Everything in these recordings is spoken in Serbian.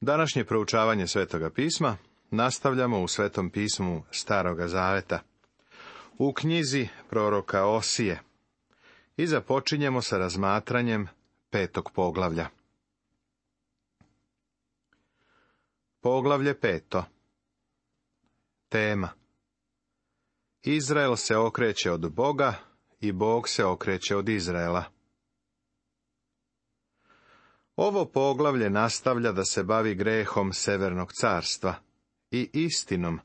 Današnje proučavanje Svetoga pisma nastavljamo u Svetom pismu Staroga zaveta, u knjizi proroka Osije, i započinjemo sa razmatranjem 5. poglavlja. Poglavlje 5. Tema: Izrael se okreće od Boga i Bog se okreće od Izraela. Ovo poglavlje nastavlja da se bavi grehom Severnog carstva i istinom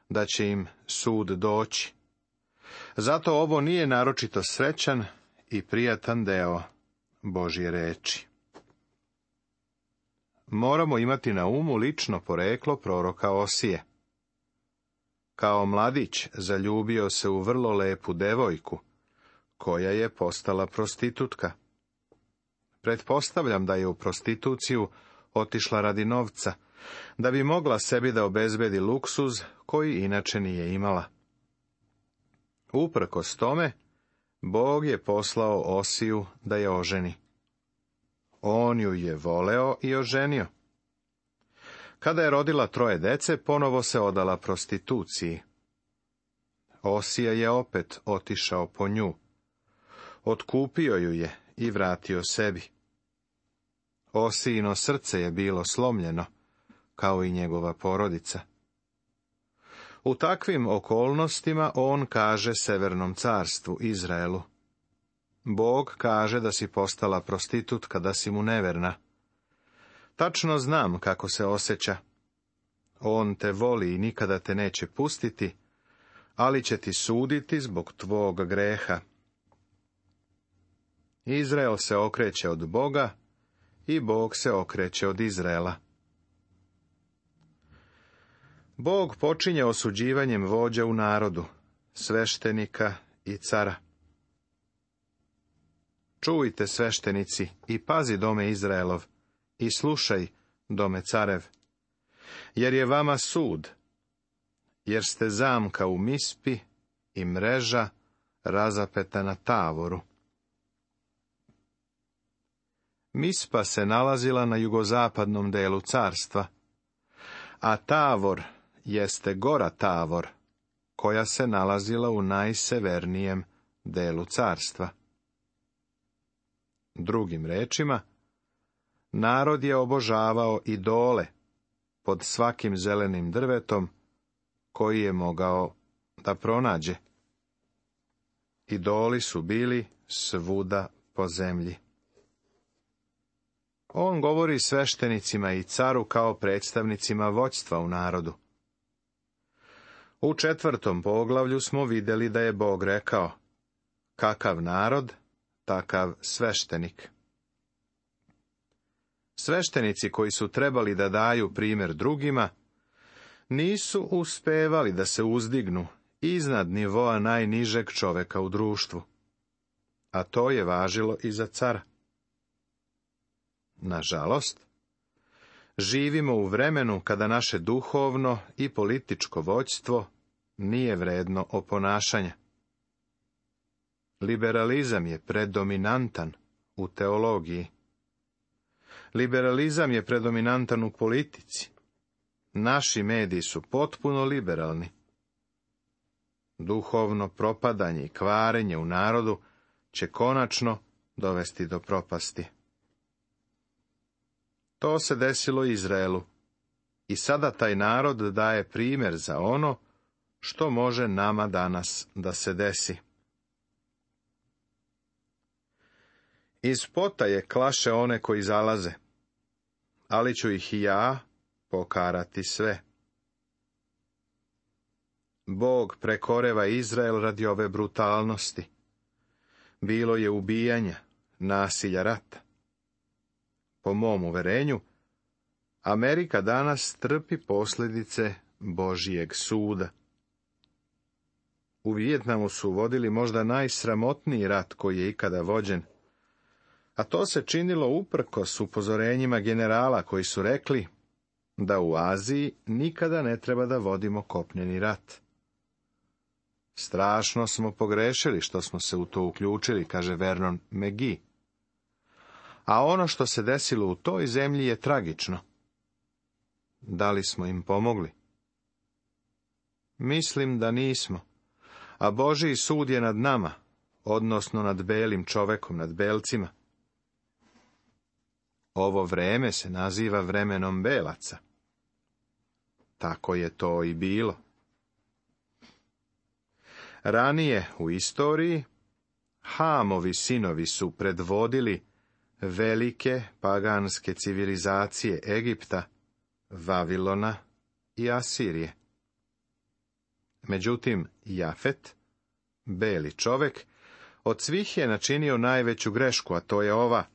da će im sud doći. Zato ovo nije naročito srećan i prijatan deo Božje reči. Moramo imati na umu lično poreklo proroka Osije. Kao mladić zaljubio se u vrlo lepu devojku, koja je postala prostitutka. Pretpostavljam da je u prostituciju otišla radi novca, da bi mogla sebi da obezbedi luksuz koji inače nije imala. Uprkos tome, Bog je poslao Osiju da je oženi. On ju je voleo i oženio. Kada je rodila 3 dece, ponovo se odala prostituciji. Osija je opet otišao po nju. Otkupio ju je i vratio sebi. Osijino srce je bilo slomljeno, kao i njegova porodica. U takvim okolnostima on kaže Severnom carstvu, Izraelu: Bog kaže da si postala prostitutka, da si mu neverna. Tačno znam kako se osjeća. On te voli i nikada te neće pustiti, ali će ti suditi zbog tvog greha. Izrael se okreće od Boga i Bog se okreće od Izraela. Bog počinje osuđivanjem vođa u narodu, sveštenika i cara. Čujte, sveštenici, i pazi, dome Izraelov, i slušaj, dome carev, jer je vama sud, jer ste zamka u Mispi i mreža razapeta na Tavoru. Mispa se nalazila na jugozapadnom delu carstva, a Tavor jeste gora Tavor, koja se nalazila u najsevernijem delu carstva. Drugim rečima, narod je obožavao idole pod svakim zelenim drvetom koji je mogao da pronađe. Idoli su bili svuda po zemlji. On govori sveštenicima i caru kao predstavnicima vođstva u narodu. U 4. poglavlju smo vidjeli da je Bog rekao: kakav narod, takav sveštenik. Sveštenici koji su trebali da daju primjer drugima, nisu uspevali da se uzdignu iznad nivoa najnižeg čoveka u društvu. A to je važilo i za cara. Nažalost, živimo u vremenu kada naše duhovno i političko vođstvo nije vredno oponašanja. Liberalizam je predominantan u teologiji. Liberalizam je predominantan u politici. Naši mediji su potpuno liberalni. Duhovno propadanje i kvarenje u narodu će konačno dovesti do propasti. To se desilo Izraelu i sada taj narod daje primjer za ono što može nama danas da se desi. Iz potaje klaše one koji zalaze, ali ću ih i ja pokarati sve. Bog prekoreva Izrael radi ove brutalnosti. Bilo je ubijanja, nasilja, rata. Po mom uverenju, Amerika danas trpi posljedice Božijeg suda. U Vijetnamu su vodili možda najsramotniji rat koji je ikada vođen, a to se činilo uprkos upozorenjima generala koji su rekli da u Aziji nikada ne treba da vodimo kopneni rat. Strašno smo pogrešili što smo se u to uključili, kaže Vernon McGee. A ono što se desilo u toj zemlji je tragično. Da li smo im pomogli? Mislim da nismo, a Božji sud je nad nama, odnosno nad belim čovekom, nad belcima. Ovo vreme se naziva vremenom belaca. Tako je to i bilo. Ranije u istoriji Hamovi sinovi su predvodili velike paganske civilizacije Egipta, Vavilona i Asirije. Međutim, Jafet, beli čovek, od svih je načinio najveću grešku, a to je ova.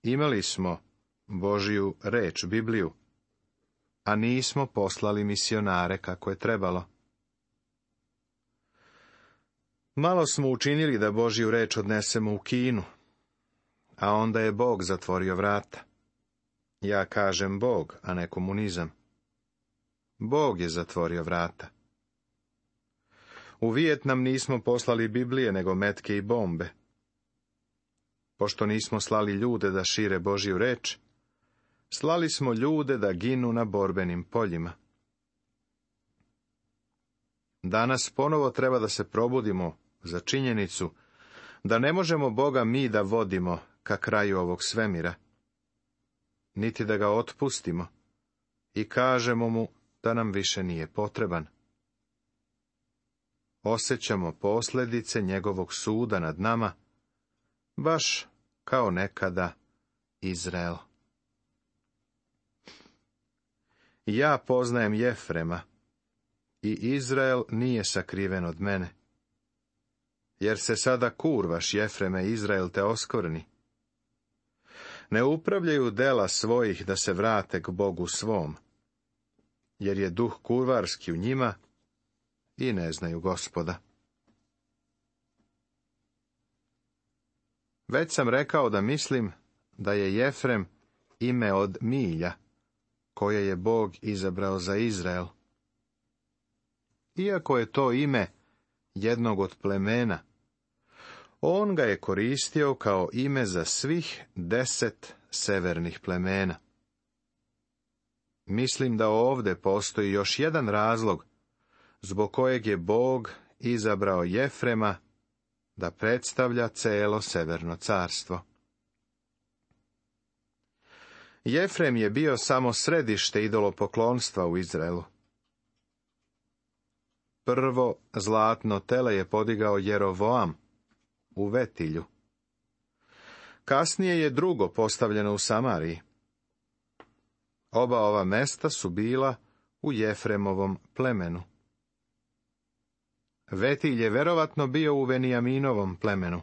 Imali smo Božju reč, Bibliju, a nismo poslali misionare kako je trebalo. Malo smo učinili da Božju reč odnesemo u Kinu, a onda je Bog zatvorio vrata. Ja kažem Bog, a ne komunizam. Bog je zatvorio vrata. U Vijetnam nismo poslali Biblije, nego metke i bombe. Pošto nismo slali ljude da šire Božju reč, slali smo ljude da ginu na borbenim poljima. Danas ponovo treba da se probudimo za činjenicu da ne možemo Boga mi da vodimo ka kraju ovog svemira, niti da ga otpustimo i kažemo mu da nam više nije potreban. Osjećamo posljedice njegovog suda nad nama, baš kao nekada Izrael. Ja poznajem Jefrema, i Izrael nije sakriven od mene. Jer se sada kurvaš, Jefreme, Izrael te oskvrni. Ne upravljaju dela svojih da se vrate k Bogu svom, jer je duh kurvarski u njima i ne znaju Gospoda. Već sam rekao da mislim da je Jefrem ime od milja, koje je Bog izabrao za Izrael. Iako je to ime jednog od plemena, on ga je koristio kao ime za svih 10 severnih plemena. Mislim da ovdje postoji još jedan razlog zbog kojeg je Bog izabrao Jefrema da predstavlja celo severno carstvo. Jefrem je bio samo središte idolopoklonstva u Izraelu. Prvo zlatno tele je podigao Jerovoam u Vetilju. Kasnije je drugo postavljeno u Samariji. Oba ova mesta su bila u Jefremovom plemenu. Vetilj je verovatno bio u Venijaminovom plemenu,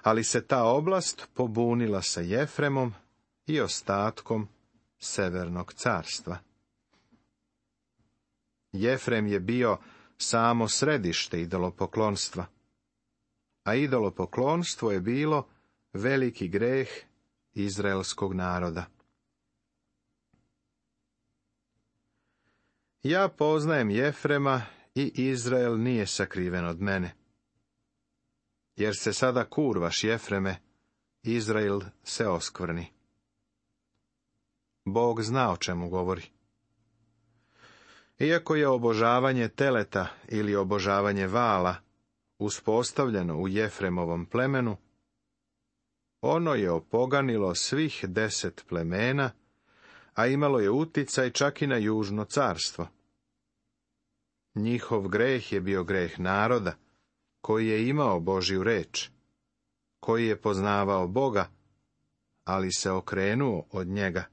ali se ta oblast pobunila sa Jefremom i ostatkom severnog carstva. Jefrem je bio samo središte idolopoklonstva, a idolopoklonstvo je bilo veliki greh izraelskog naroda. Ja poznajem Jefrema i Izrael nije sakriven od mene. Jer se sada kurvaš, Jefreme, Izrael se oskvrni. Bog zna o čemu govori. Iako je obožavanje teleta ili obožavanje vala uspostavljeno u Jefremovom plemenu, ono je opoganilo svih 10 plemena, a imalo je uticaj čak i na južno carstvo. Njihov greh je bio greh naroda, koji je imao Božju reč, koji je poznavao Boga, ali se okrenuo od njega.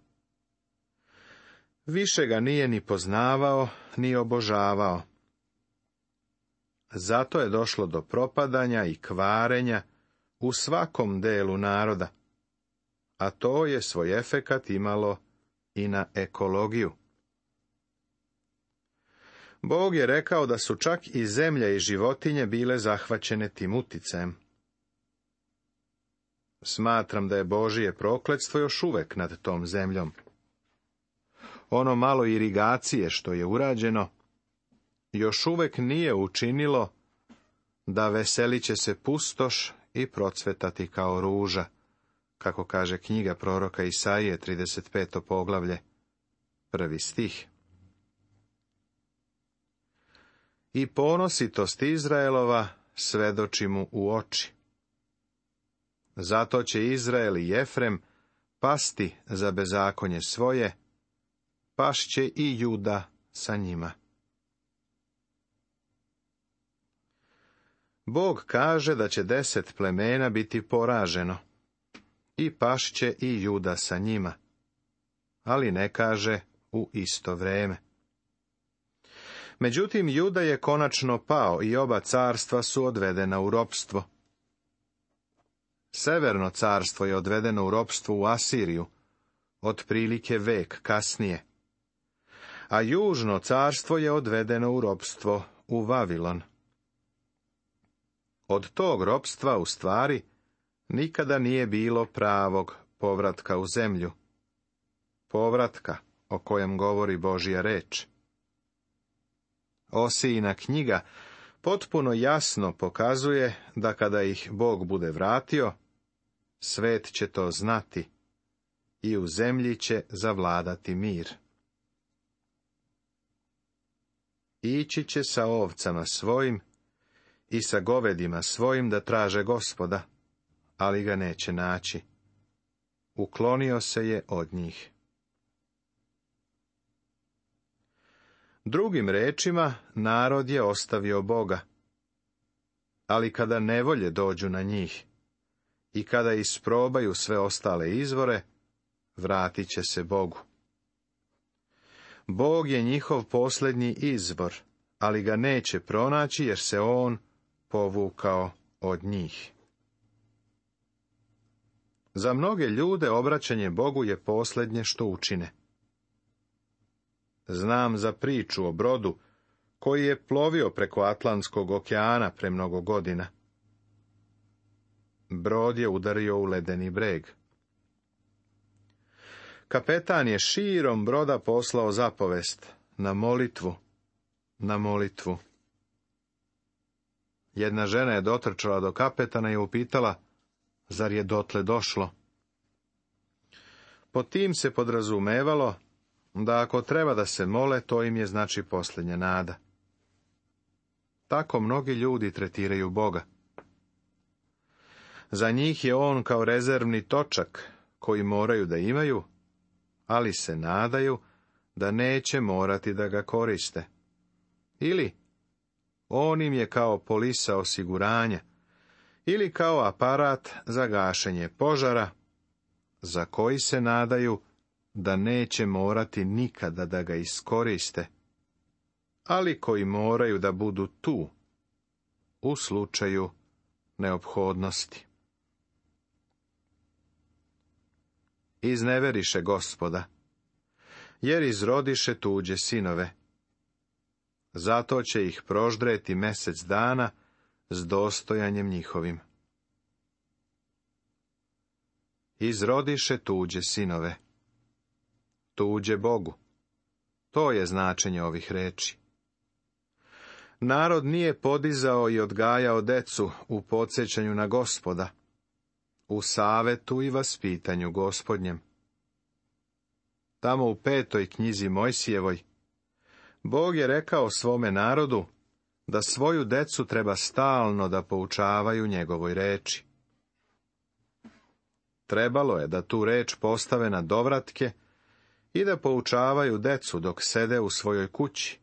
Više ga nije ni poznavao, ni obožavao. Zato je došlo do propadanja i kvarenja u svakom delu naroda, a to je svoj efekat imalo i na ekologiju. Bog je rekao da su čak i zemlja i životinje bile zahvaćene tim uticajem. Smatram da je Božije prokletstvo još uvek nad tom zemljom. Ono malo irigacije što je urađeno, još uvek nije učinilo da veselit će se pustoš i procvetati kao ruža, kako kaže knjiga proroka Isaije, 35. poglavlje. 1. stih. I ponositost Izraelova svedoči mu u oči. Zato će Izrael i Jefrem pasti za bezakonje svoje, pašće i Juda sa njima. Bog kaže da će 10 plemena biti poraženo, i pašće i Juda sa njima, ali ne kaže u isto vrijeme. Međutim, Juda je konačno pao i oba carstva su odvedena u ropstvo. Severno carstvo je odvedeno u ropstvo u Asiriju, otprilike vek kasnije, a južno carstvo je odvedeno u ropstvo u Vavilon. Od tog ropstva, u stvari, nikada nije bilo pravog povratka u zemlju, povratka o kojem govori Božja reč. Osijina knjiga potpuno jasno pokazuje da kada ih Bog bude vratio, svet će to znati i u zemlji će zavladati mir. Ići će sa ovcama svojim i sa govedima svojim da traže Gospoda, ali ga neće naći. Uklonio se je od njih. Drugim rečima, narod je ostavio Boga, ali kada nevolje dođu na njih i kada isprobaju sve ostale izvore, vratit će se Bogu. Bog je njihov posljednji izvor, ali ga neće pronaći jer se on povukao od njih. Za mnoge ljude obraćanje Bogu je posljednje što učine. Znam za priču o brodu koji je plovio preko Atlantskog okeana pre mnogo godina. Brod je udario u ledeni breg. Kapetan je širom broda poslao zapovest: na molitvu, na molitvu. Jedna žena je dotrčala do kapetana i upitala: zar je dotle došlo? Po tim se podrazumevalo da ako treba da se mole, to im je znači posljednja nada. Tako mnogi ljudi tretiraju Boga. Za njih je on kao rezervni točak koji moraju da imaju, ali se nadaju da neće morati da ga koriste. Ili on im je kao polisa osiguranja, ili kao aparat za gašenje požara, za koji se nadaju da neće morati nikada da ga iskoriste, ali koji moraju da budu tu, u slučaju neophodnosti. Izneveriše Gospoda, jer izrodiše tuđe sinove. Zato će ih proždreti mesec dana s dostojanjem njihovim. Izrodiše tuđe sinove. Tuđe Bogu. To je značenje ovih reči. Narod nije podizao i odgajao decu u podsjećanju na Gospoda, u savetu i vaspitanju Gospodnjem. Tamo u 5. knjizi Mojsijevoj, Bog je rekao svome narodu da svoju decu treba stalno da poučavaju njegovoj reči. Trebalo je da tu reč postave na dovratke i da poučavaju decu dok sede u svojoj kući,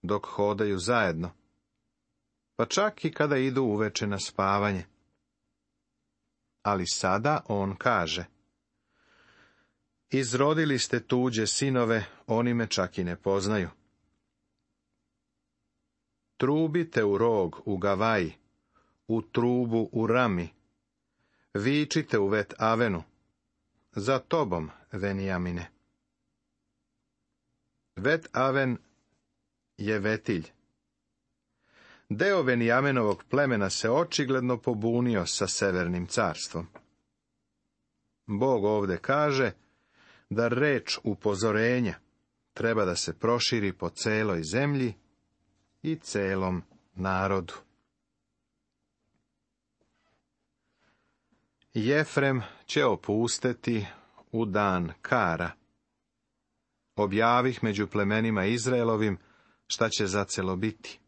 dok hodaju zajedno, pa čak i kada idu uveče na spavanje. Ali sada on kaže: izrodili ste tuđe sinove, oni me čak i ne poznaju. Trubite u rog u Gavaji, u trubu u Rami, vičite u Vet Avenu, za tobom, Venijamine. Vet Aven je Vetilj. Deo Venijamenovog plemena se očigledno pobunio sa severnim carstvom. Bog ovde kaže da reč upozorenja treba da se proširi po celoj zemlji i celom narodu. Jefrem će opusteti u dan kara. objavih među plemenima Izraelovim šta će zacelo biti.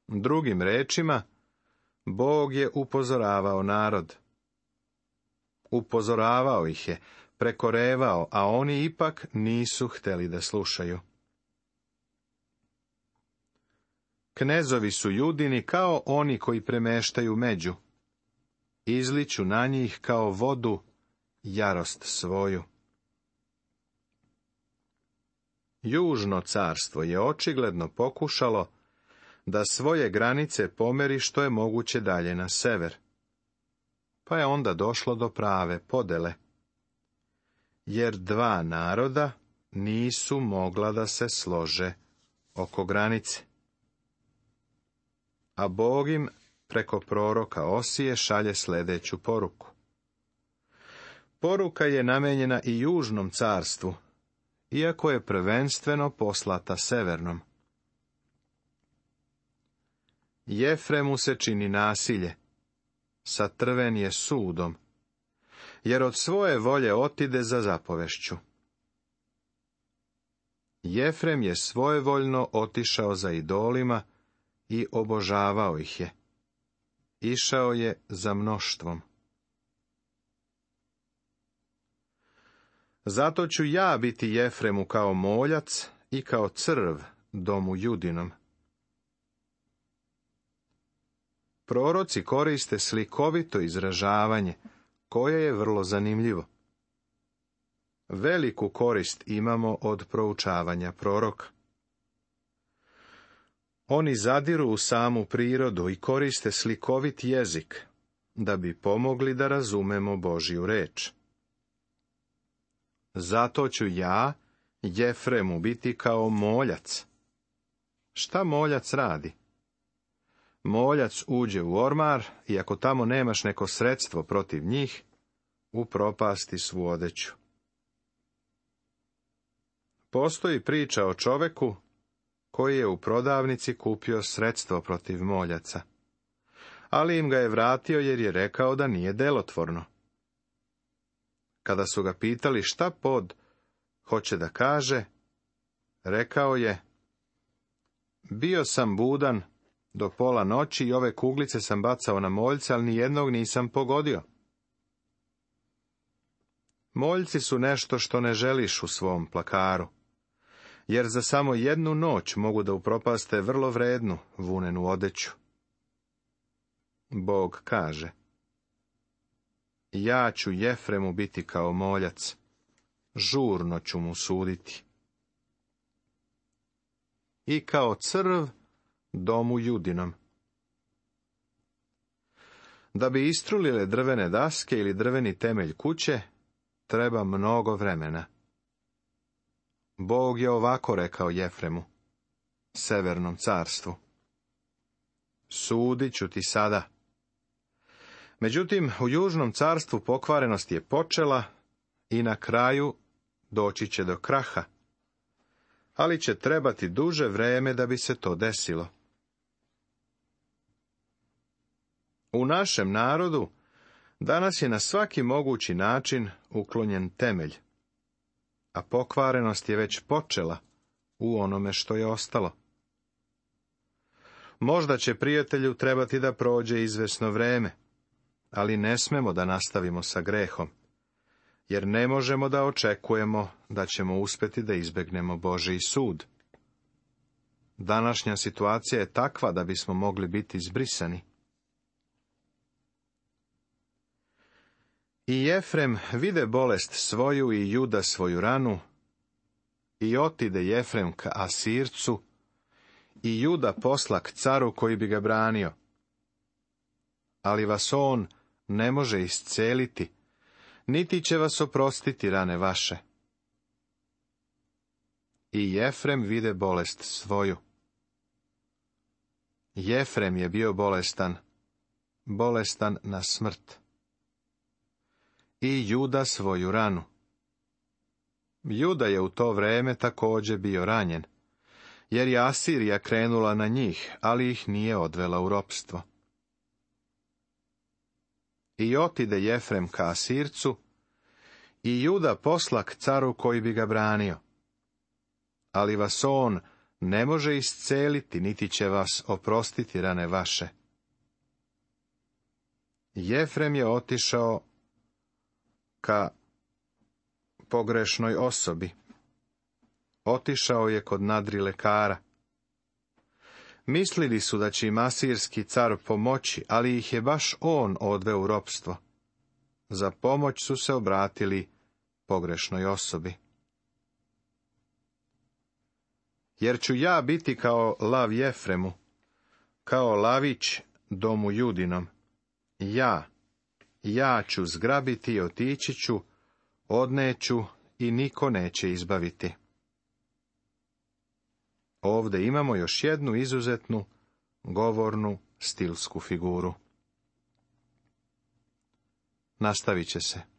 Drugim rečima, Bog je upozoravao narod. Upozoravao ih je, prekorevao, a oni ipak nisu htjeli da slušaju. Knezovi su Judini kao oni koji premeštaju među. Izliću na njih kao vodu jarost svoju. Južno carstvo je očigledno pokušalo da svoje granice pomeri što je moguće dalje na sever. Pa je onda došlo do prave podele. Jer dva naroda nisu mogla da se slože oko granice. A Bog im preko proroka Osije šalje sljedeću poruku. Poruka je namenjena i južnom carstvu, iako je prvenstveno poslata severnom. Jefremu se čini nasilje, satrven je sudom, jer od svoje volje otide za zapovešću. Jefrem je svojevoljno otišao za idolima i obožavao ih je. Išao je za mnoštvom. Zato ću ja biti Jefremu kao moljac i kao crv domu Judinom. Proroci koriste slikovito izražavanje, koje je vrlo zanimljivo. Veliku korist imamo od proučavanja proroka. Oni zadiru u samu prirodu i koriste slikovit jezik, da bi pomogli da razumemo Božju reč. Zato ću ja, Jefremu, biti kao moljac. Šta moljac radi? Moljac uđe u ormar i ako tamo nemaš neko sredstvo protiv njih, upropasti svu odeću. Postoji priča o čoveku koji je u prodavnici kupio sredstvo protiv moljaca, ali im ga je vratio jer je rekao da nije delotvorno. Kada su ga pitali šta pod hoće da kaže, rekao je: bio sam budan do pola noći i ove kuglice sam bacao na moljca, ali nijednog nisam pogodio. Moljci su nešto što ne želiš u svom plakaru, jer za samo jednu noć mogu da upropaste vrlo vrednu vunenu odeću. Bog kaže: ja ću Jefremu biti kao moljac, žurno ću mu suditi. I kao crv domu Judinom. Da bi istrulile drvene daske ili drveni temelj kuće, treba mnogo vremena. Bog je ovako rekao Jefremu, severnom carstvu: sudit ću ti sada. Međutim, u južnom carstvu pokvarenost je počela i na kraju doći će do kraha, ali će trebati duže vreme da bi se to desilo. U našem narodu danas je na svaki mogući način uklonjen temelj, a pokvarenost je već počela u onome što je ostalo. Možda će prijatelju trebati da prođe izvesno vreme, ali ne smemo da nastavimo sa grehom, jer ne možemo da očekujemo da ćemo uspjeti da izbegnemo Božji sud. Današnja situacija je takva da bismo mogli biti izbrisani. I Jefrem vide bolest svoju i Juda svoju ranu, i otide Jefrem ka Asircu, i Juda posla k caru koji bi ga branio. Ali vas on ne može isceliti, niti će vas oprostiti rane vaše. I Jefrem vide bolest svoju. Jefrem je bio bolestan, bolestan na smrt. I Juda svoju ranu. Juda je u to vreme također bio ranjen, jer je Asirija krenula na njih, ali ih nije odvela u ropstvo. I otide Jefrem ka Asircu, i Juda posla k caru koji bi ga branio. Ali vas on ne može isceliti, niti će vas oprostiti rane vaše. Jefrem je otišao ka pogrešnoj osobi. Otišao je kod nadrilekara. Mislili su da će im asirski car pomoći, ali ih je baš on odveo u ropstvo. Za pomoć su se obratili pogrešnoj osobi. Jer ću ja biti kao lav Jefremu, kao lavić domu Judinom. Ja ću zgrabiti i otići ću, odneću i niko neće izbaviti. Ovdje imamo još jednu izuzetnu, govornu, stilsku figuru. Nastavit će se.